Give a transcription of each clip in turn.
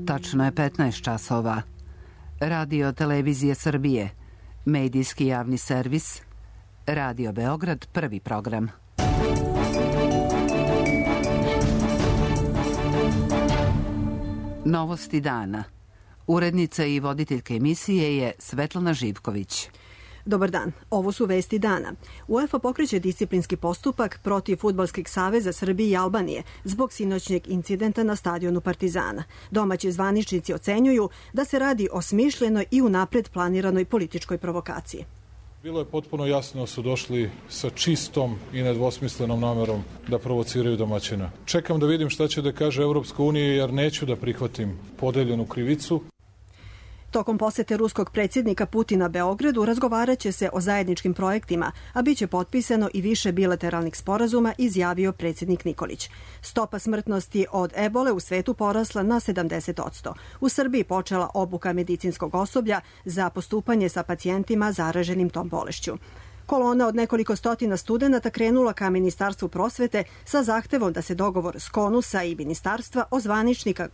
Tačno je 15 časova. Radio Televizije Srbije, medijski javni servis, Radio Beograd, prvi program. Novosti dana. Urednica i voditeljka emisije je Svetlana Živković. Dobar dan, ovo su vesti dana. UEFA pokreće disciplinski postupak protiv Fudbalskog saveza Srbije i Albanije zbog sinoćnjeg incidenta na stadionu Partizana. Domaći zvaničnici ocenjuju da se radi o smišljenoj i unapred planiranoj političkoj provokaciji. Bilo je potpuno jasno da su došli sa čistom i nedvosmislenom namerom da provociraju domaćina. Čekam da vidim šta će da kaže Evropska unija jer neću da prihvatim podeljenu krivicu. Tokom posete ruskog predsjednika Putina Beogradu razgovarat će se o zajedničkim projektima, a bit će potpisano i više bilateralnih sporazuma, izjavio predsjednik Nikolić. Stopa smrtnosti od ebole u svetu porasla na 70%. U Srbiji počela obuka medicinskog osoblja za postupanje sa pacijentima zaraženim tom bolešću. Kolona od nekoliko stotina studenata krenula ka Ministarstvu prosvete sa zahtevom da se dogovor SKONUS-a i ministarstva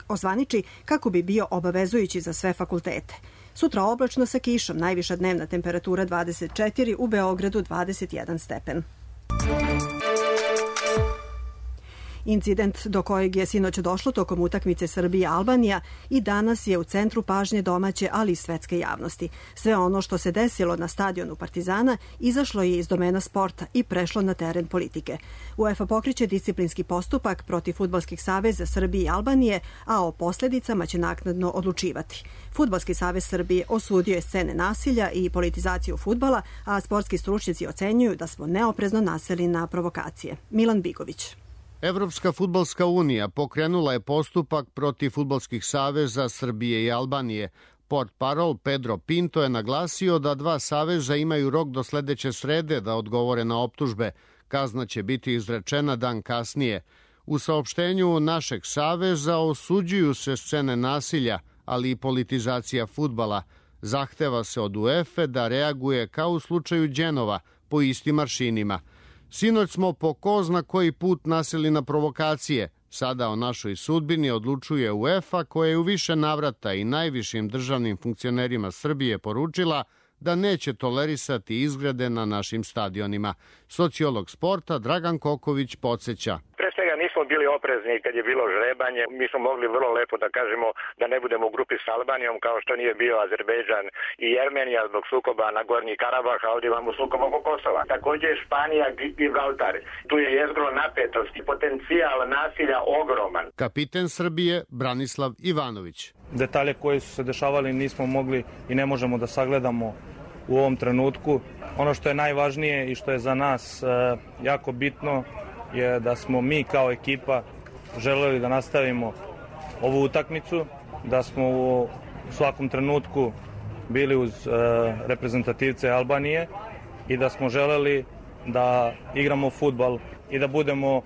ozvaniči kako bi bio obavezujući za sve fakultete. Sutra oblačno sa kišom, najviša dnevna temperatura 24, u Beogradu 21 stepen. Incident do kojeg je sinoć došlo tokom utakmice Srbija-Albanija i danas je u centru pažnje domaće, ali i svetske javnosti. Sve ono što se desilo na stadionu Partizana izašlo je iz domena sporta i prešlo na teren politike. UEFA pokreće disciplinski postupak protiv Fudbalskog saveza Srbije i Albanije, a o posljedicama će naknadno odlučivati. Fudbalski savez Srbije osudio je scene nasilja i politizaciju fudbala, a sportski stručnjaci ocenjuju da smo neoprezno naseli na provokacije. Milan Bigović. Evropska fudbalska unija pokrenula je postupak protiv fudbalskih saveza Srbije i Albanije. Portparol Pedro Pinto je naglasio da dva saveza imaju rok do sledeće srede da odgovore na optužbe. Kazna će biti izrečena dan kasnije. U saopštenju našeg saveza osuđuju se scene nasilja, ali i politizacija fudbala. Zahteva se od UEFA da reaguje kao u slučaju Đenova po istim aršinima. Sinoć smo po ko zna koji put naseli na provokacije. Sada o našoj sudbini odlučuje UEFA, koja je u više navrata i najvišim državnim funkcionerima Srbije poručila da neće tolerisati izgrede na našim stadionima. Sociolog sporta Dragan Koković podsjeća. Pre svega nismo bili oprezni kad je bilo žrebanje. Mi smo mogli vrlo lepo da kažemo da ne budemo u grupi s Albanijom, kao što nije bio Azerbejdžan i Jermenija zbog sukoba na Gornji Karabah, a ovdje imamo sukob oko Kosova. Također je Španija i Gibraltar. Tu je jezgro napetosti, potencijal nasilja ogroman. Kapiten Srbije Branislav Ivanović. Detalje koji su se dešavali nismo mogli i ne možemo da sagledamo u ovom trenutku. Ono što je najvažnije i što je za nas jako bitno je da smo mi kao ekipa želeli da nastavimo ovu utakmicu, da smo u svakom trenutku bili uz reprezentativce Albanije i da smo želeli da igramo fudbal i da budemo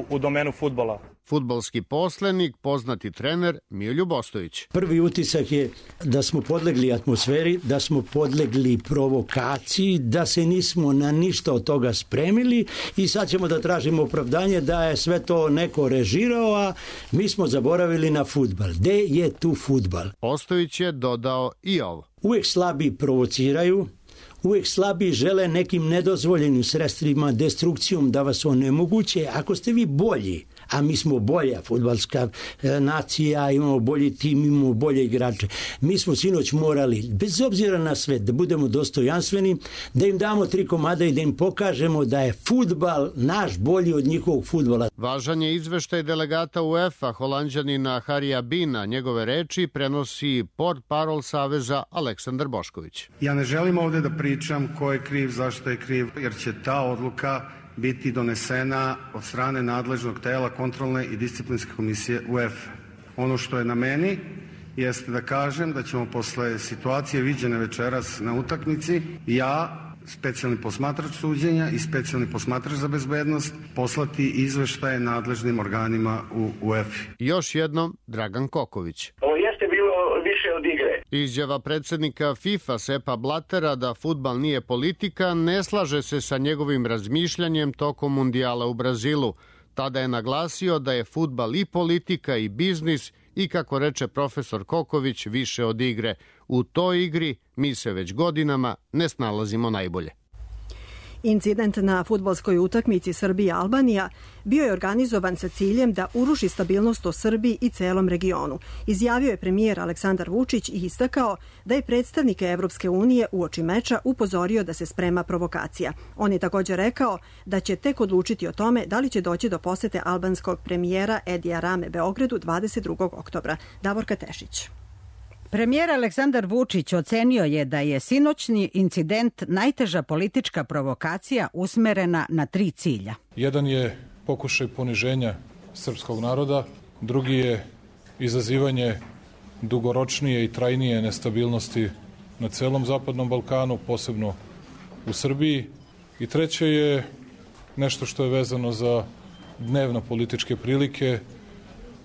u domenu fudbala. Fudbalski poslenik, poznati trener Milju Bostović. Prvi utisak je da smo podlegli atmosferi, da smo podlegli provokaciji, da se nismo na ništa od toga spremili i sad ćemo da tražimo opravdanje da je sve to neko režirao, a mi smo zaboravili na fudbal. Gde je tu fudbal? Bostović je dodao i ovo. Uvijek slabi provociraju, uvijek slabi žele nekim nedozvoljenim sredstvima, destrukcijom da vas onemoguće. Ako ste vi bolji, a mi smo bolja fudbalska nacija, imamo bolji tim, imamo bolje igrače. Mi smo sinoć morali, bez obzira na sve, da budemo dostojanstveni, da im damo 3 komada i da im pokažemo da je fudbal naš bolji od njihovog fudbala. Važan je izveštaj delegata UEFA, Holanđanina Harija Bina. Njegove reči prenosi portparol Saveza Aleksandar Bošković. Ja ne želim ovde da pričam ko je kriv, zašto je kriv, jer će ta odluka biti donesena od strane nadležnog tela kontrolne i disciplinske komisije UEFA. Ono što je na meni jeste da kažem da ćemo posle situacije viđene večeras na utakmici, ja, specijalni posmatrač suđenja i specijalni posmatrač za bezbednost, poslati izveštaje nadležnim organima u UEFA. Još jednom Dragan Koković. Ovo jeste bilo više od igre. Izjava predsjednika FIFA Sepa Blatera da fudbal nije politika ne slaže se sa njegovim razmišljanjem tokom mundijala u Brazilu. Tada je naglasio da je fudbal i politika i biznis i, kako reče profesor Koković, više od igre. U toj igri mi se već godinama ne snalazimo najbolje. Incident na fudbalskoj utakmici Srbija-Albanija bio je organizovan sa ciljem da uruši stabilnost u Srbiji i celom regionu. Izjavio je premijer Aleksandar Vučić i istakao da je predstavnike Evropske unije uoči meča upozorio da se sprema provokacija. On je također rekao da će tek odlučiti o tome da li će doći do posete albanskog premijera Edija Rame Beogradu 22. oktobra. Davorka Tešić. Premijer Aleksandar Vučić ocenio je da je sinoćni incident najteža politička provokacija usmerena na 3 cilja. Jedan je pokušaj poniženja srpskog naroda, drugi je izazivanje dugoročnije i trajnije nestabilnosti na celom Zapadnom Balkanu, posebno u Srbiji, i treće je nešto što je vezano za dnevno političke prilike,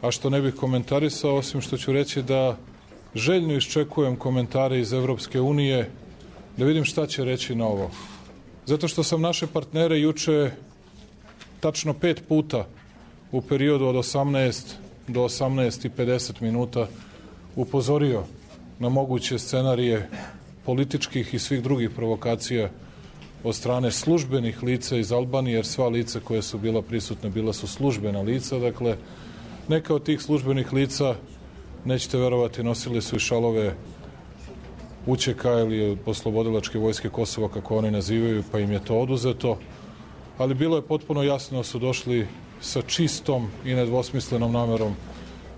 a što ne bih komentarisao, osim što ću reći da željno iščekujem komentare iz Evropske unije da vidim šta će reći na ovo. Zato što sam naše partnere juče tačno 5 puta u periodu od 18 do 18:50 minuta upozorio na moguće scenarije političkih i svih drugih provokacija od strane službenih lica iz Albanije, jer sva lica koja su bila prisutna bila su službena lica. Dakle, neka od tih službenih lica, nećete verovati, nosili su i šalove UČK ili Oslobodilačke vojske Kosova, kako oni nazivaju, pa im je to oduzeto. Ali bilo je potpuno jasno da su došli sa čistom i nedvosmislenom namerom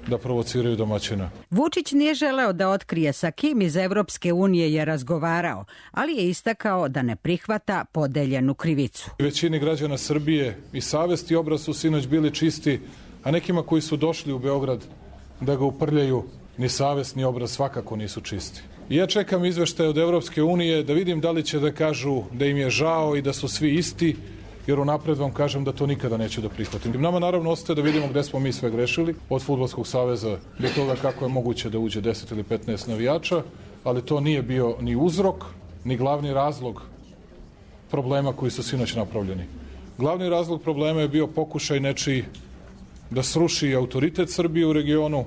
da provociraju domaćina. Vučić nije želeo da otkrije sa kim iz Evropske unije je razgovarao, ali je istakao da ne prihvata podeljenu krivicu. Većini građana Srbije i savest i obraz su sinoć bili čisti, a nekima koji su došli u Beograd da ga uprljaju, ni savest ni obraz svakako nisu čisti. I ja čekam izveštaje od Evropske unije da vidim da li će da kažu da im je žao i da su svi isti, jer unapred vam kažem da to nikada neću da prihvatim. Nama naravno ostaje da vidimo gde smo mi sve grešili, od Fudbalskog saveza do toga kako je moguće da uđe 10 ili 15 navijača, ali to nije bio ni uzrok, ni glavni razlog problema koji su sinoć napravljeni. Glavni razlog problema je bio pokušaj nečiji da sruši autoritet Srbije u regionu,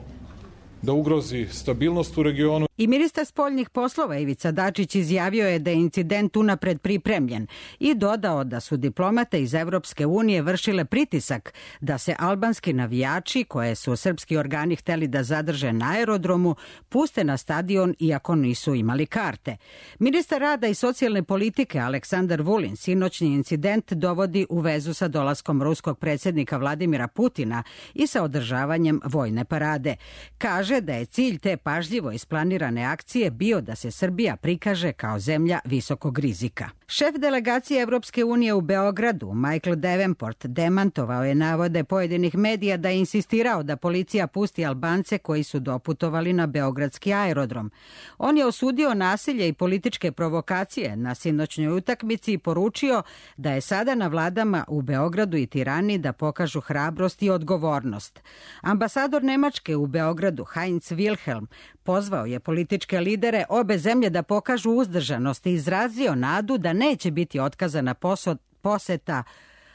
da ugrozi stabilnost u regionu. I ministar spoljnih poslova Ivica Dačić izjavio je da je incident unapred pripremljen i dodao da su diplomate iz Evropske unije vršile pritisak da se albanski navijači, koje su srpski organi hteli da zadrže na aerodromu, puste na stadion iako nisu imali karte. Ministar rada i socijalne politike Aleksandar Vulin sinoćni incident dovodi u vezu sa dolaskom ruskog predsjednika Vladimira Putina i sa održavanjem vojne parade. Kaže da je cilj te pažljivo isplanirane akcije bio da se Srbija prikaže kao zemlja visokog rizika. Šef delegacije Evropske unije u Beogradu, Michael Davenport, demantovao je navode pojedinih medija da je insistirao da policija pusti Albance koji su doputovali na beogradski aerodrom. On je osudio nasilje i političke provokacije na sinoćnoj utakmici i poručio da je sada na vladama u Beogradu i Tirani da pokažu hrabrost i odgovornost. Ambasador Nemačke u Beogradu, Heinz Wilhelm, pozvao je političke lidere obe zemlje da pokažu uzdržanost i izrazio nadu da neće biti otkazana poseta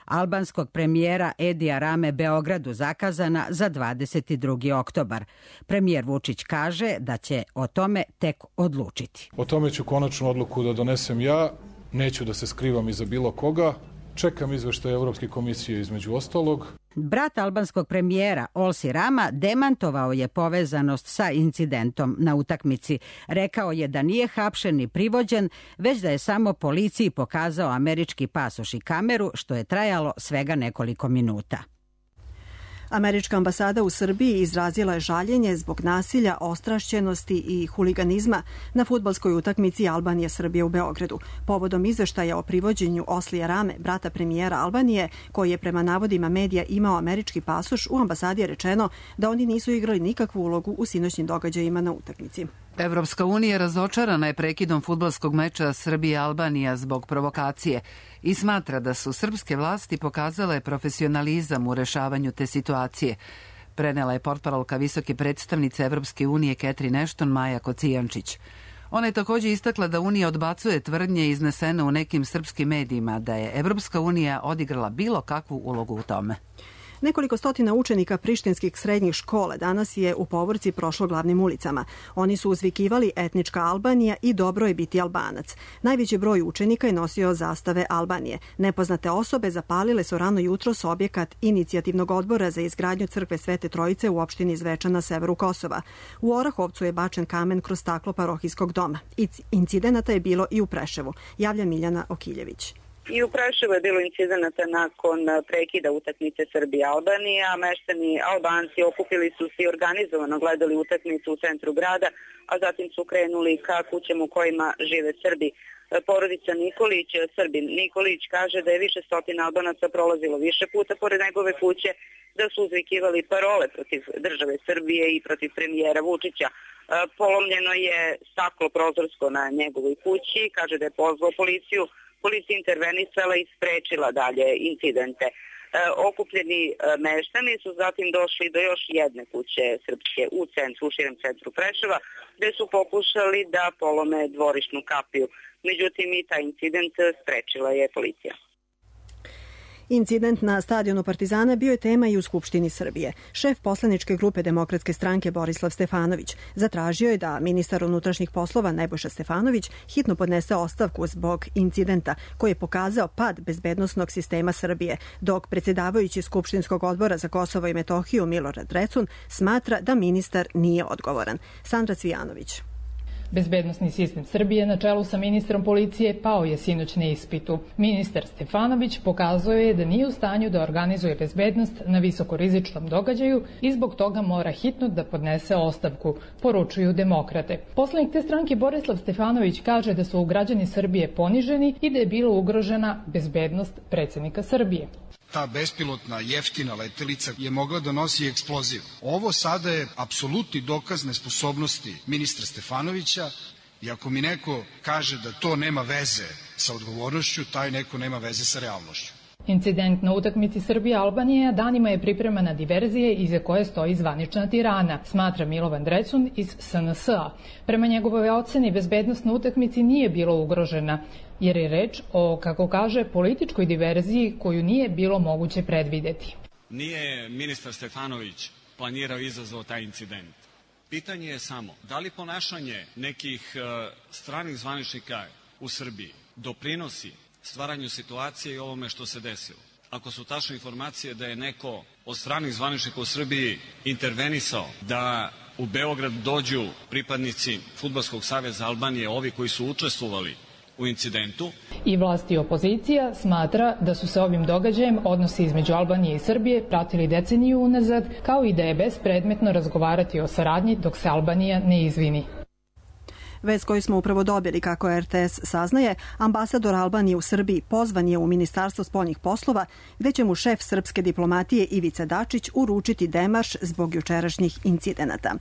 albanskog premijera Edija Rame Beogradu zakazana za 22. oktobar. Premijer Vučić kaže da će o tome tek odlučiti. O tome ću konačnu odluku da donesem ja, neću da se skrivam iza bilo koga. Čekam izveštaj Evropske komisije između ostalog. Brat albanskog premijera Olsi Rama demantovao je povezanost sa incidentom na utakmici. Rekao je da nije hapšen ni privođen, već da je samo policiji pokazao američki pasoš i kameru, što je trajalo svega nekoliko minuta. Američka ambasada u Srbiji izrazila je žaljenje zbog nasilja, ostrašćenosti i huliganizma na fudbalskoj utakmici Albanija-Srbija u Beogradu. Povodom izveštaja o privođenju Oslija Rame, brata premijera Albanije, koji je prema navodima medija imao američki pasoš, u ambasadi je rečeno da oni nisu igrali nikakvu ulogu u sinoćnim događajima na utakmici. Evropska unija razočarana je prekidom fudbalskog meča Srbija-Albanija zbog provokacije i smatra da su srpske vlasti pokazale profesionalizam u rešavanju te situacije. Prenela je portparolka visoke predstavnice Evropske unije Catherine Ashton Maja Kocijančić. Ona je također istakla da Unija odbacuje tvrdnje iznesene u nekim srpskim medijima da je Evropska unija odigrala bilo kakvu ulogu u tome. Nekoliko stotina učenika prištinskih srednjih škola danas je u povorci prošlo glavnim ulicama. Oni su uzvikivali etnička Albanija i dobro je biti Albanac. Najveći broj učenika je nosio zastave Albanije. Nepoznate osobe zapalile su rano jutros objekat inicijativnog odbora za izgradnju crkve Svete Trojice u opštini Zvečan na severu Kosova. U Orahovcu je bačen kamen kroz staklo parohijskog doma. Incidenata je bilo i u Preševu. Javlja Miljana Okiljević. I u Preševu je bilo incidenata nakon prekida utakmice Srbija-Albanija. Meštani Albanci okupili su se i organizovano gledali utakmicu u centru grada, a zatim su krenuli ka kućama u kojima žive Srbi. Porodica Nikolić, Srbin Nikolić, kaže da je više stotina Albanaca prolazilo više puta pored njegove kuće, da su uzvikivali parole protiv države Srbije i protiv premijera Vučića. Polomljeno je staklo prozorsko na njegovoj kući, kaže da je pozvao policiju. Policija intervenisala i sprečila dalje incidente. Okupljeni meštani su zatim došli do još jedne kuće srpske u širem centru Preševa, gde su pokušali da polome dvorišnu kapiju. Međutim, i taj incident sprečila je policija. Incident na stadionu Partizana bio je tema i u Skupštini Srbije. Šef poslaničke grupe Demokratske stranke Borislav Stefanović zatražio je da ministar unutrašnjih poslova Nebojša Stefanović hitno podnese ostavku zbog incidenta koji je pokazao pad bezbednosnog sistema Srbije, dok predsjedavajući Skupštinskog odbora za Kosovo i Metohiju Milorad Drecun smatra da ministar nije odgovoran. Sandra Cvijanović. Bezbednosni sistem Srbije na čelu sa ministrom policije pao je sinoć na ispitu. Ministar Stefanović pokazuje je da nije u stanju da organizuje bezbednost na visokorizičnom događaju i zbog toga mora hitno da podnese ostavku, poručuju demokrate. Poslanik te stranke Borislav Stefanović kaže da su građani Srbije poniženi i da je bila ugrožena bezbednost predsjednika Srbije. Ta bespilotna jeftina letelica je mogla da nosi eksploziv. Ovo sada je apsolutni dokaz nesposobnosti ministra Stefanovića i ako mi neko kaže da to nema veze sa odgovornošću, taj neko nema veze sa realnošću. Incident na utakmici Srbija-Albanija danima je pripremana diverzije iza koje stoji zvanična Tirana, smatra Milovan Drecun iz SNS-a. Prema njegovoj oceni, bezbednost na utakmici nije bila ugrožena, jer je reč o, kako kaže, političkoj diverziji koju nije bilo moguće predvideti. Nije ministar Stefanović planirao i izazvao taj incident. Pitanje je samo da li ponašanje nekih stranih zvaničnika u Srbiji doprinosi stvaranju situacije i ovome što se desilo. Ako su tačne informacije da je neko od stranih zvaničnika u Srbiji intervenisao da u Beograd dođu pripadnici Fudbalskog saveza Albanije, ovi koji su učestvovali u incidentu. I vlast i opozicija smatra da su se ovim događajem odnosi između Albanije i Srbije pratili deceniju unazad, kao i da je bespredmetno razgovarati o saradnji dok se Albanija ne izvini. Vest koju smo upravo dobili, kako RTS saznaje, ambasador Albanije u Srbiji pozvan je u Ministarstvo spoljnih poslova, gde će mu šef srpske diplomatije Ivica Dačić uručiti demarš zbog jučerašnjih incidenata.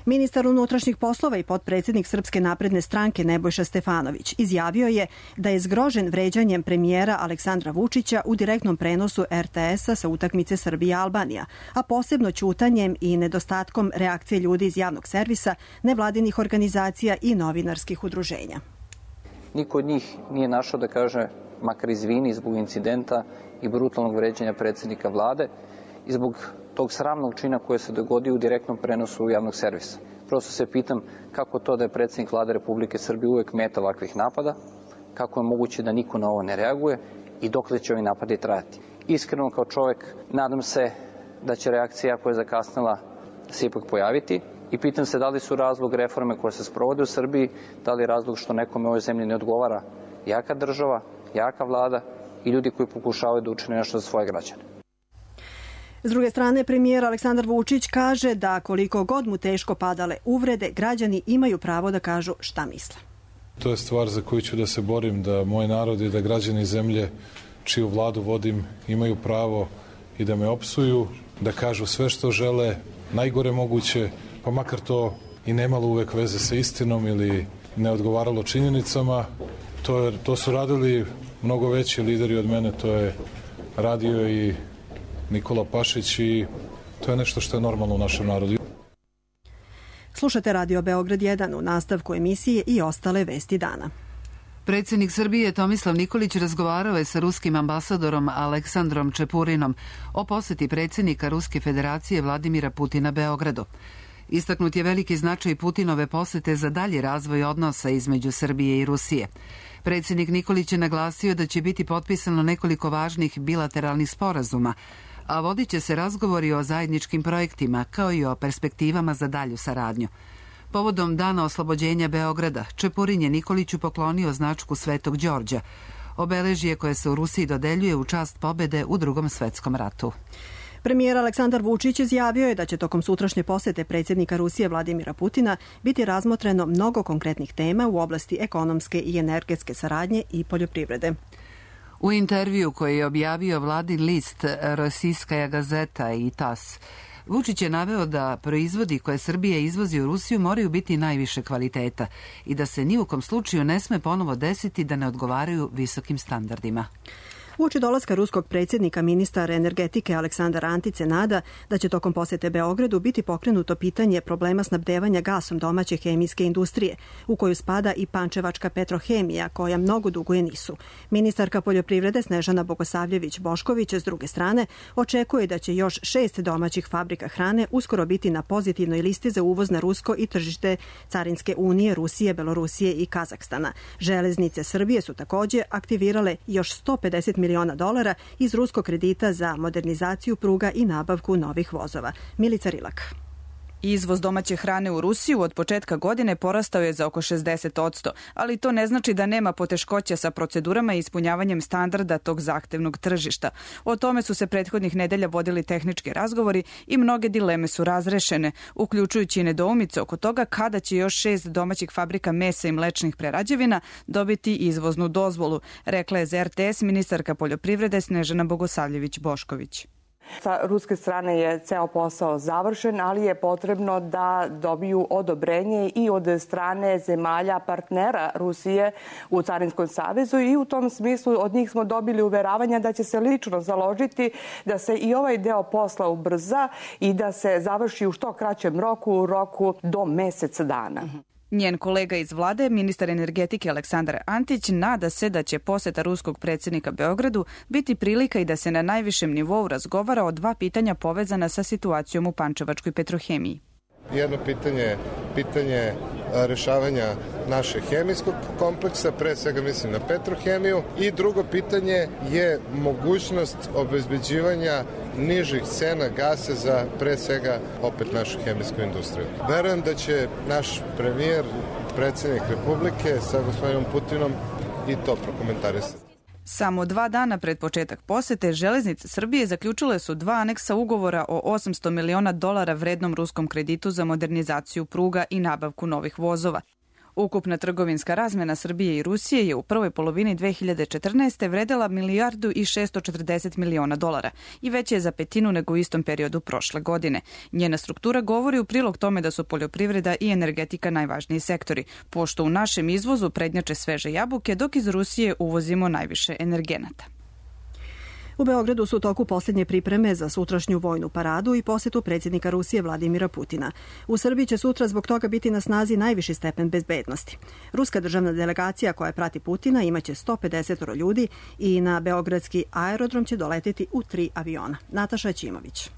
Ministar unutrašnjih poslova i potpredsjednik Srpske napredne stranke Nebojša Stefanović izjavio je da je zgrožen vređanjem premijera Aleksandra Vučića u direktnom prenosu RTS-a sa utakmice Srbija-Albanija, a posebno ćutanjem i nedostatkom reakcije ljudi iz javnog servisa, nevladinih organizacija i novinarskih udruženja. Niko od njih nije našao da kaže makar izvini zbog incidenta i brutalnog vređanja predsjednika vlade i zbog tog sramnog čina koje se dogodio u direktnom prenosu javnog servisa. Prosto se pitam kako to da je predsjednik vlade Republike Srbije uvek meta ovakvih napada, kako je moguće da niko na ovo ne reaguje i dokle će ovi napadi trajati. Iskreno kao čovek nadam se da će reakcija koja je zakasnila se ipak pojaviti i pitam se da li su razlog reforme koje se sprovode u Srbiji, da li je razlog što nekome u ovoj zemlji ne odgovara jaka država, jaka vlada i ljudi koji pokušavaju da učine nešto za svoje građane. S druge strane, premijer Aleksandar Vučić kaže da koliko god mu teško padale uvrede, građani imaju pravo da kažu šta misle. To je stvar za koju ću da se borim, da moj narod i da građani zemlje čiju vladu vodim imaju pravo i da me opsuju, da kažu sve što žele, najgore moguće, pa makar to i nemalo uvek veze sa istinom ili ne odgovaralo činjenicama. To su radili mnogo veći lideri od mene, to je radio i Nikola Pašić i to je nešto što je normalno u našem narodu. Slušate Radio Beograd 1 u nastavku emisije i ostale vesti dana. Predsjednik Srbije Tomislav Nikolić razgovarao je sa ruskim ambasadorom Aleksandrom Čepurinom o poseti predsjednika Ruske federacije Vladimira Putina Beogradu. Istaknut je veliki značaj Putinove posete za dalji razvoj odnosa između Srbije i Rusije. Predsjednik Nikolić je naglasio da će biti potpisano nekoliko važnih bilateralnih sporazuma, a vodit će se razgovori o zajedničkim projektima kao i o perspektivama za dalju saradnju. Povodom Dana oslobođenja Beograda, Čepurin je Nikoliću poklonio značku Svetog Đorđa, obeležje koje se u Rusiji dodeljuje u čast pobede u Drugom svetskom ratu. Premijer Aleksandar Vučić izjavio je da će tokom sutrašnje posete predsjednika Rusije Vladimira Putina biti razmotreno mnogo konkretnih tema u oblasti ekonomske i energetske saradnje i poljoprivrede. U intervju koji je objavio vladin list Rosijskaja gazeta i TAS, Vučić je naveo da proizvodi koje Srbija izvozi u Rusiju moraju biti najviše kvaliteta i da se ni u kom slučaju ne sme ponovo desiti da ne odgovaraju visokim standardima. Uoči dolaska ruskog predsjednika ministar energetike Aleksandar Antić se nada da će tokom posete Beogradu biti pokrenuto pitanje problema snabdevanja gasom domaće hemijske industrije, u koju spada i pančevačka Petrohemija, koja mnogo duguje NIS-u. Ministarka poljoprivrede Snežana Bogosavljević-Bošković s druge strane očekuje da će još 6 domaćih fabrika hrane uskoro biti na pozitivnoj listi za uvoz na rusko i tržište Carinske unije Rusije, Belorusije i Kazahstana. Železnice Srbije su također aktivirale još $150 miliona iz ruskog kredita za modernizaciju pruga i nabavku novih vozova. Milica Rilak. Izvoz domaće hrane u Rusiju od početka godine porastao je za oko 60%, ali to ne znači da nema poteškoća sa procedurama i ispunjavanjem standarda tog zahtevnog tržišta. O tome su se prethodnih nedelja vodili tehnički razgovori i mnoge dileme su razrešene, uključujući i nedoumice oko toga kada će još 6 domaćih fabrika mesa i mlečnih prerađevina dobiti izvoznu dozvolu, rekla je za RTS ministarka poljoprivrede Snežana Bogosavljević-Bošković. Sa ruske strane je ceo posao završen, ali je potrebno da dobiju odobrenje i od strane zemalja partnera Rusije u Carinskom savezu i u tom smislu od njih smo dobili uveravanja da će se lično založiti da se i ovaj deo posla ubrza i da se završi u što kraćem roku, u roku do mesec dana. Njen kolega iz vlade, ministar energetike Aleksandar Antić, nada se da će poseta ruskog predsjednika Beogradu biti prilika i da se na najvišem nivou razgovara o 2 pitanja povezana sa situacijom u pančevačkoj Petrohemiji. Jedno pitanje rešavanja našeg hemijskog kompleksa, pre svega mislim na Petrohemiju, i drugo pitanje je mogućnost obezbeđivanja nižih cena gasa za pre svega opet našu hemijsku industriju. Verujem da će naš premijer, predsjednik Republike sa gospodinom Putinom i to prokomentarisati. Samo 2 dana pred početak posete, Železnice Srbije zaključile su 2 aneksa ugovora o $800 miliona vrednom ruskom kreditu za modernizaciju pruga i nabavku novih vozova. Ukupna trgovinska razmena Srbije i Rusije je u prvoj polovini 2014. vredela $1,640 miliona i veća je za 1/5 nego u istom periodu prošle godine. Njena struktura govori u prilog tome da su poljoprivreda i energetika najvažniji sektori, pošto u našem izvozu prednjače sveže jabuke, dok iz Rusije uvozimo najviše energenata. U Beogradu su u toku posljednje pripreme za sutrašnju vojnu paradu i posetu predsjednika Rusije Vladimira Putina. U Srbiji će sutra zbog toga biti na snazi najviši stepen bezbednosti. Ruska državna delegacija koja prati Putina imaće 150 ljudi i na beogradski aerodrom će doleteti u 3 aviona. Nataša Ćimović.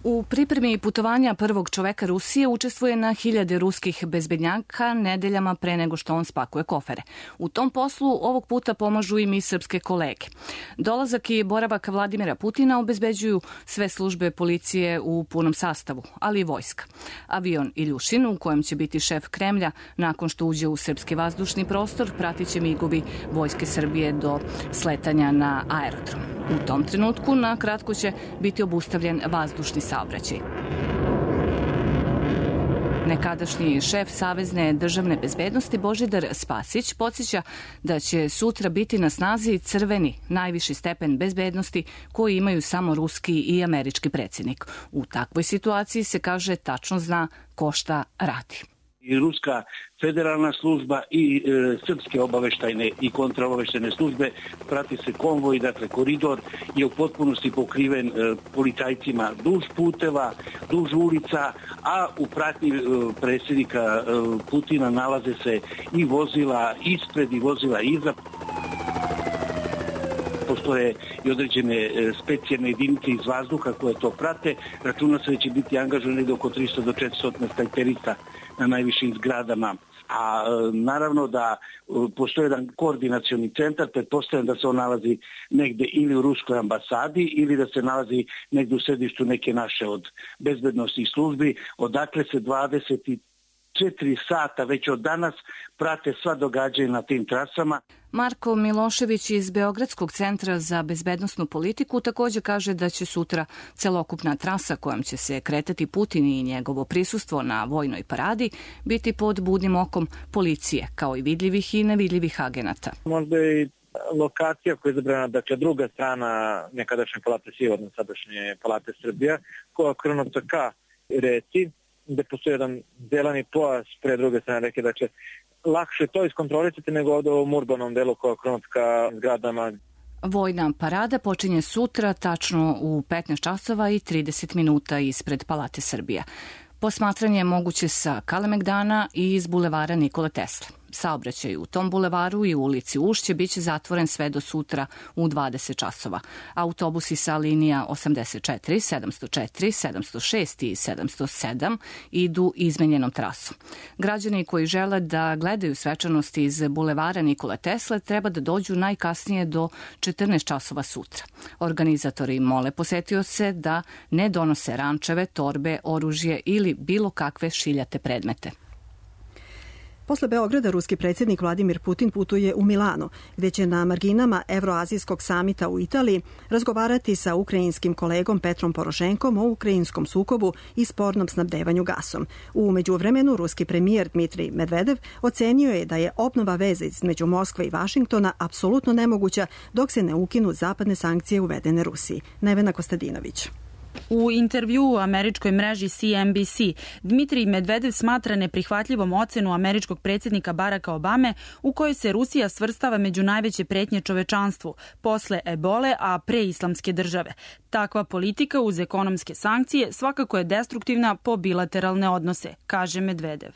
U pripremi putovanja prvog čoveka Rusije učestvuje na 1000 ruskih bezbednjaka nedeljama pre nego što on spakuje kofere. U tom poslu ovog puta pomažu i mi srpske kolege. Dolazak i boravak Vladimira Putina obezbeđuju sve službe policije u punom sastavu, ali i vojska. Avion Iljušin, u kojem će biti šef Kremlja, nakon što uđe u srpski vazdušni prostor, pratit će migovi vojske Srbije do sletanja na aerodrom. U tom trenutku na kratko će biti obustavljen vazdušni saobraćaj. Nekadašnji šef Savezne državne bezbednosti Božidar Spasić podsjeća da će sutra biti na snazi crveni, najviši stepen bezbednosti koji imaju samo ruski i američki predsjednik. U takvoj situaciji se, kaže, tačno zna ko šta radi. I ruska federalna služba i srpske obaveštajne i kontraobaveštajne službe, prati se konvoj, dakle koridor je u potpunosti pokriven policajcima duž puteva, duž ulica, a u pratnji predsjednika Putina nalaze se i vozila ispred i vozila iza. Postoje i određene specijalne jedinice iz vazduha koje to prate. Računa se da će biti angažovano negde oko 300 do 400 snajperista na najvišim zgradama. A naravno da postoji jedan koordinacioni centar, pretpostavljam da se on nalazi negde ili u ruskoj ambasadi ili da se nalazi negde u središtu neke naše od bezbednostnih službi, odakle se 24 sata već od danas prate sva događanja na tim trasama. Marko Milošević iz Beogradskog centra za bezbednosnu politiku također kaže da će sutra celokupna trasa kojom će se kretati Putin i njegovo prisustvo na vojnoj paradi biti pod budnim okom policije, kao i vidljivih i nevidljivih agenata. Možda i lokacija koja je izabrana, dakle druga strana nekadašnje palate Sivorno, sadašnje palate Srbija, koja je okrenuta ka reci, gde postoji jedan zeleni pojas pre druge strane reke, dakle lakše to iskontrolisati nego ovdje u ovom urbanom delu koja je okrenut ka zgradama. Vojna parada počinje sutra tačno u 15 časova i 30 minuta ispred Palate Srbija. Posmatranje je moguće sa Kalemegdana i iz bulevara Nikole Tesle. Saobraćaj u tom bulevaru i u ulici Ušće biće zatvoren sve do sutra u 20 časova. Autobusi sa linija 84, 704, 706 i 707 idu izmenjenom trasom. Građani koji žele da gledaju svečanosti iz bulevara Nikole Tesle treba da dođu najkasnije do 14 časova sutra. Organizatori mole posetioce da ne donose rančeve, torbe, oružje ili bilo kakve šiljate predmete. Posle Beograda, ruski predsjednik Vladimir Putin putuje u Milano, gdje će na marginama Evroazijskog samita u Italiji razgovarati sa ukrajinskim kolegom Petrom Porošenkom o ukrajinskom sukobu i spornom snabdevanju gasom. U međuvremenu, ruski premijer Dmitrij Medvedev ocenio je da je obnova veze između Moskve i Vašingtona apsolutno nemoguća dok se ne ukinu zapadne sankcije uvedene Rusiji. Nevena Kostadinović. U intervjuu u američkoj mreži CNBC, Dmitrij Medvedev smatra neprihvatljivom ocenu američkog predsjednika Baracka Obame u kojoj se Rusija svrstava među najveće pretnje čovečanstvu, posle ebole, a pre islamske države. Takva politika uz ekonomske sankcije svakako je destruktivna po bilateralne odnose, kaže Medvedev.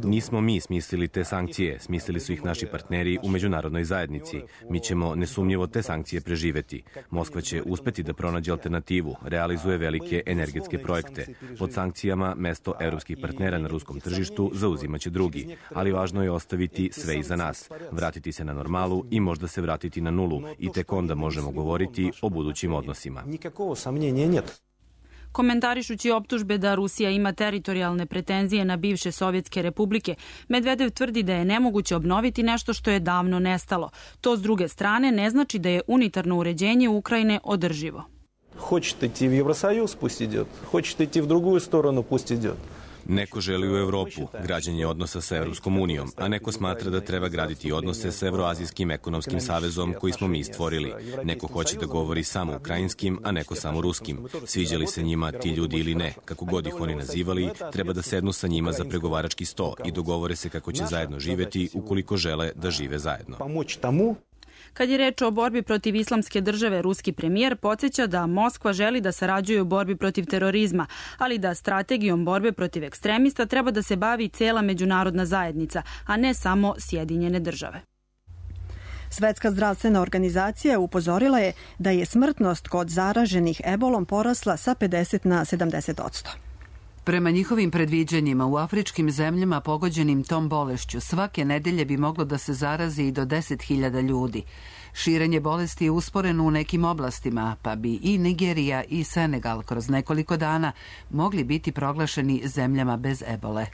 Nismo mi smislili te sankcije, smislili su ih naši partneri u međunarodnoj zajednici. Mi ćemo nesumnjivo te sankcije preživeti. Moskva će uspeti da pronađe alternativu, realizuje velike energetske projekte. Pod sankcijama mesto evropskih partnera na ruskom tržištu zauzimaće drugi, ali važno je ostaviti sve iza nas, vratiti se na normalu i možda se vratiti na nulu i tek onda možemo govoriti o budućim odnosima. Komentarišući optužbe da Rusija ima teritorijalne pretenzije na bivše sovjetske republike, Medvedev tvrdi da je nemoguće obnoviti nešto što je davno nestalo. To s druge strane ne znači da je unitarno uređenje Ukrajine održivo. Hoćete iti u Evrosajuz, pust idiot. Hoćete iti u drugu stranu, pust idiot. Neko želi u Evropu, građenje odnosa sa Evropskom unijom, a neko smatra da treba graditi odnose sa Evroazijskim ekonomskim savezom koji smo mi stvorili. Neko hoće da govori samo ukrajinskim, a neko samo ruskim. Sviđali se njima ti ljudi ili ne, kako god ih oni nazivali, treba da sednu sa njima za pregovarački sto i dogovore se kako će zajedno živeti ukoliko žele da žive zajedno. Kad je reč o borbi protiv islamske države, ruski premijer podsjeća da Moskva želi da sarađuje u borbi protiv terorizma, ali da strategijom borbe protiv ekstremista treba da se bavi cela međunarodna zajednica, a ne samo Sjedinjene države. Svetska zdravstvena organizacija upozorila je da je smrtnost kod zaraženih ebolom porasla sa 50 na 70%. Prema njihovim predviđanjima, u afričkim zemljama pogođenim tom bolešću svake nedelje bi moglo da se zarazi i do 10.000 ljudi. Širenje bolesti je usporeno u nekim oblastima, pa bi i Nigerija i Senegal kroz nekoliko dana mogli biti proglašeni zemljama bez ebole.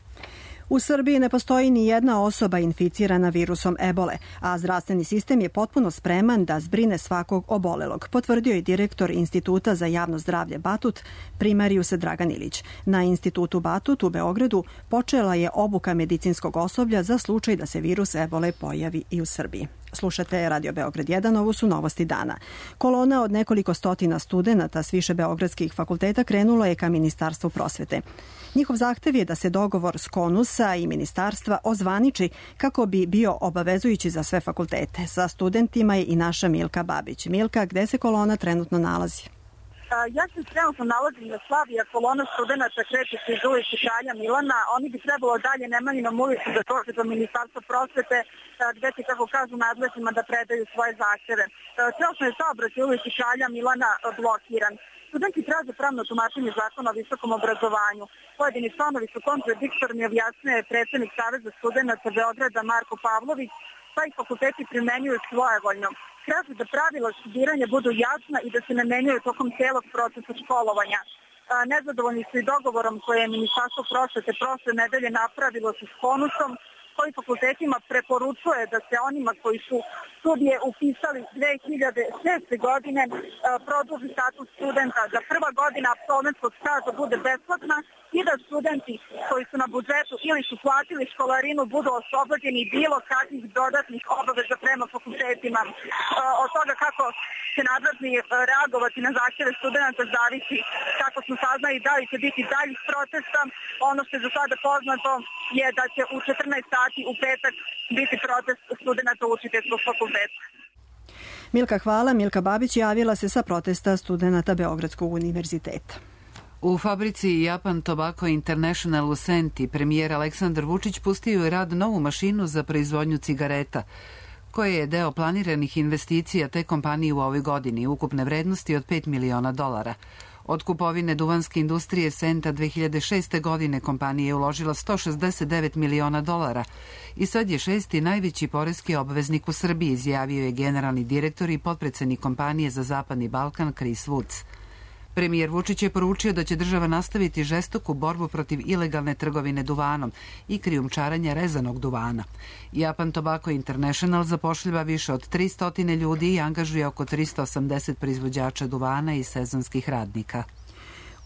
U Srbiji ne postoji ni jedna osoba inficirana virusom ebole, a zdravstveni sistem je potpuno spreman da zbrine svakog obolelog, potvrdio je direktor Instituta za javno zdravlje Batut, primarijus Dragan Ilić. Na Institutu Batut u Beogradu počela je obuka medicinskog osoblja za slučaj da se virus ebole pojavi i u Srbiji. Slušate Radio Beograd 1, ovo su novosti dana. Kolona od nekoliko stotina studenata s više beogradskih fakulteta krenula je ka Ministarstvu prosvete. Njihov zahtev je da se dogovor s KONUS-a i ministarstva ozvaniči kako bi bio obavezujući za sve fakultete. Sa studentima je i naša Milka Babić. Milka, gde se kolona trenutno nalazi? Ja se trenutno nalazim na Slaviji, a kolona studenta kreće se iz ulice Kralja Milana. Oni bi trebalo dalje Nemanjinom ulicu da dođe do Ministarstva prosvete, gde će, kako kažu, nadležnima da predaju svoje zahteve. Trenutno je saobraćaj u ulici Kralja Milana blokiran. Studenti traže pravno tumačenje zakona o visokom obrazovanju. Pojedini članovi su kontradiktorni, objasnio predsednik Saveza studenata Beograda Marko Pavlović, pa i fakulteti primenjuju svojevoljno. Traže da pravila studiranja budu jasna i da se ne menjaju tokom celog procesa školovanja. Nezadovoljni su i dogovorom koje je Ministarstvo prosvete prošle nedelje napravilo sa KONUS-om, koji fakultetima preporučuje da se onima koji su studije upisali 2006. godine produži status studenta, da prva godina apsolventskog staža bude besplatna i da studenti koji su na budžetu ili su platili školarinu budu oslobođeni bilo kakvih dodatnih obaveza prema fakultetima. Od toga kako će nadležni reagovati na zahtjeve studenta zavisi, kako smo saznali, da li će biti daljih protesta. Ono što je za sada poznato je da će u 14 sati u petak biti protest studenta učiteljskog fakulteta. Milka, hvala. Milka Babić javila se sa protesta studenta Beogradskog univerziteta. U fabrici Japan Tobacco International u Senti premijer Aleksandar Vučić pustio je rad novu mašinu za proizvodnju cigareta, koje je deo planiranih investicija te kompanije u ovoj godini, ukupne vrednosti od $5 miliona. Od kupovine duvanske industrije Senta 2006. godine kompanija je uložila $169 miliona i sad je šesti najveći poreski obveznik u Srbiji, izjavio je generalni direktor i potpredsednik kompanije za Zapadni Balkan Chris Woods. Premijer Vučić je poručio da će država nastaviti žestoku borbu protiv ilegalne trgovine duvanom i krijumčarenja rezanog duvana. Japan Tobacco International zapošljava više od 300 ljudi i angažuje oko 380 proizvođača duvana i sezonskih radnika.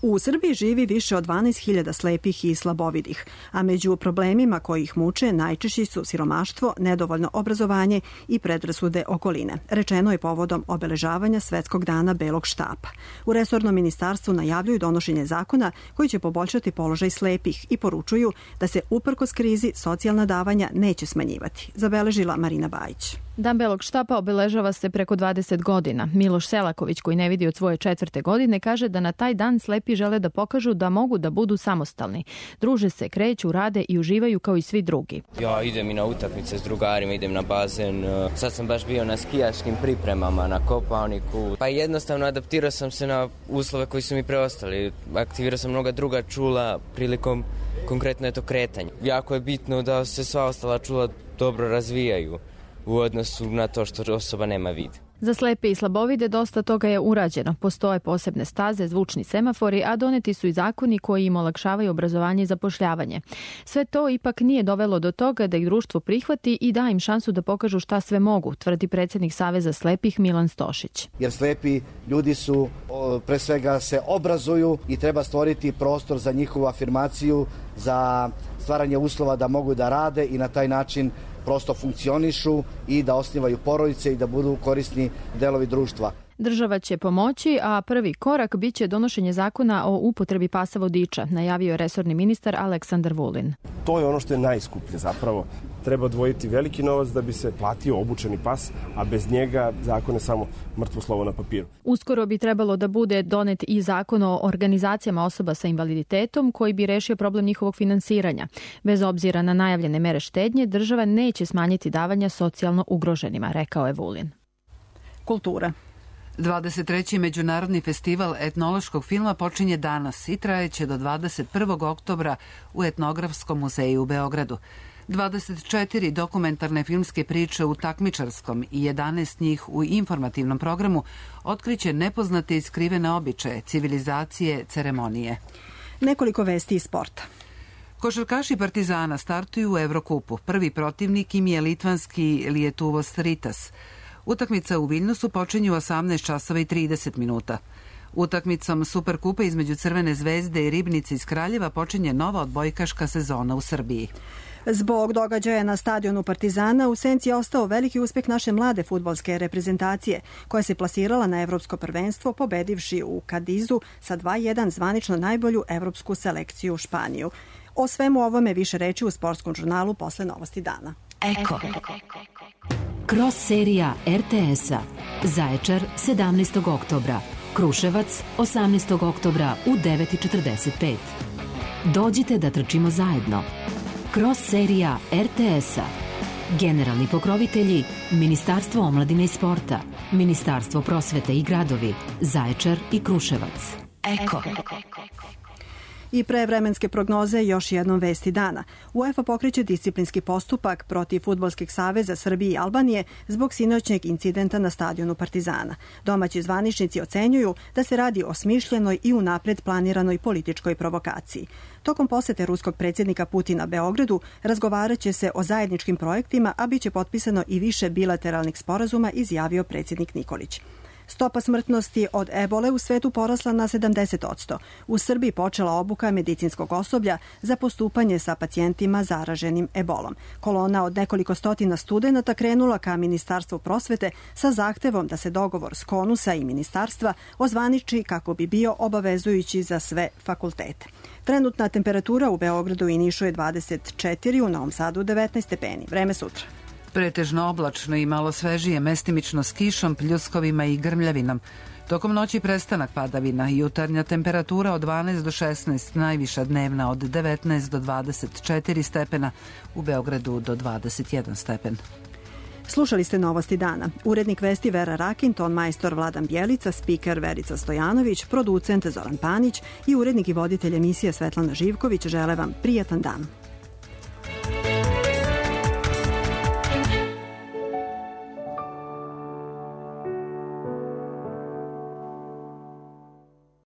U Srbiji živi više od 12.000 slepih i slabovidih, a među problemima koji ih muče najčešći su siromaštvo, nedovoljno obrazovanje i predrasude okoline. Rečeno je povodom obeležavanja Svetskog dana belog štapa. U resornom ministarstvu najavljuju donošenje zakona koji će poboljšati položaj slepih i poručuju da se uprkos krizi socijalna davanja neće smanjivati, zabeležila Marina Bajić. Dan belog štapa obeležava se preko 20 godina. Miloš Selaković, koji ne vidi od svoje 4. godine, kaže da na taj dan slepi žele da pokažu da mogu da budu samostalni. Druže se, kreću, rade i uživaju kao i svi drugi. Ja idem i na utakmice s drugarima, idem na bazen. Sad sam baš bio na skijaškim pripremama, na Kopaoniku. Pa jednostavno adaptirao sam se na uslove koji su mi preostali. Aktivirao sam mnoga druga čula prilikom konkretno kretanja. Jako je bitno da se sva ostala čula dobro razvijaju u odnosu na to što osoba nema vid. Za slepe i slabovide dosta toga je urađeno. Postoje posebne staze, zvučni semafori, a doneti su i zakoni koji im olakšavaju obrazovanje i zapošljavanje. Sve to ipak nije dovelo do toga da ih društvo prihvati i da im šansu da pokažu šta sve mogu, tvrdi predsjednik Saveza slepih Milan Stošić. Jer slepi ljudi su, pre svega, se obrazuju i treba stvoriti prostor za njihovu afirmaciju, za stvaranje uslova da mogu da rade i na taj način prosto funkcionišu i da osnivaju porodice i da budu korisni delovi društva. Država će pomoći, a prvi korak biće donošenje zakona o upotrebi pasa vodiča, najavio je resorni ministar Aleksandar Vulin. To je ono što je najskuplje zapravo. Treba odvojiti veliki novac da bi se platio obučeni pas, a bez njega zakon je samo mrtvo slovo na papiru. Uskoro bi trebalo da bude donet i zakon o organizacijama osoba sa invaliditetom koji bi rešio problem njihovog finansiranja. Bez obzira na najavljene mere štednje, država neće smanjiti davanja socijalno ugroženima, rekao je Vulin. Kultura. 23. Međunarodni festival etnološkog filma počinje danas i trajeće do 21. oktobra u Etnografskom muzeju u Beogradu. 24 dokumentarne filmske priče u takmičarskom i 11 njih u informativnom programu otkriće nepoznate i skrivene običaje, civilizacije, ceremonije. Nekoliko vesti iz sporta. Košarkaši Partizana startuju u Evrokupu. Prvi protivnik im je litvanski Lietuvos Rytas. Utakmica u Viljnusu počinje u 18:30. Utakmicom Superkupa između Crvene zvezde i Ribnice iz Kraljeva počinje nova odbojkaška sezona u Srbiji. Zbog događaja na stadionu Partizana u senci je ostao veliki uspeh naše mlade fudbalske reprezentacije, koja se plasirala na evropsko prvenstvo pobedivši u Kadizu sa 2:1 zvanično najbolju evropsku selekciju Španiju. O svemu ovome više reči u sportskom žurnalu posle novosti dana. Eko. Cross serija RTS-a. Zaječar 17. oktobra. Kruševac 18. oktobra u 9:45. Dođite da trčimo zajedno. Cross serija RTS-a. Generalni pokrovitelji Ministarstvo omladine i sporta, Ministarstvo prosvete i gradovi, Zaječar i Kruševac. Eko. I pre vremenske prognoze još jednom vesti dana. UEFA pokreće disciplinski postupak protiv Fudbalskih saveza Srbije i Albanije zbog sinoćnjeg incidenta na stadionu Partizana. Domaći zvaničnici ocenjuju da se radi o smišljenoj i unapred planiranoj političkoj provokaciji. Tokom posete ruskog predsjednika Putina Beogradu razgovarat će se o zajedničkim projektima, a biće potpisano i više bilateralnih sporazuma, izjavio predsjednik Nikolić. Stopa smrtnosti od ebole u svetu porasla na 70%. U Srbiji počela obuka medicinskog osoblja za postupanje sa pacijentima zaraženim ebolom. Kolona od nekoliko stotina studenata krenula ka Ministarstvu prosvete sa zahtevom da se dogovor s Konusa i ministarstva ozvaniči kako bi bio obavezujući za sve fakultete. Trenutna temperatura u Beogradu i Nišu je 24, u Novom Sadu 19 stepeni. Vreme sutra. Pretežno oblačno i malo svežije, mestimično s kišom, pljuskovima i grmljavinom. Tokom noći prestanak padavina, jutarnja temperatura od 12 do 16, najviša dnevna od 19 do 24 stepena, u Beogradu do 21 stepen. Slušali ste novosti dana. Urednik vesti Vera Rakin, ton majstor Vladan Bjelica, spiker Verica Stojanović, producent Zoran Panić i urednik i voditelj emisije Svetlana Živković žele vam prijatan dan.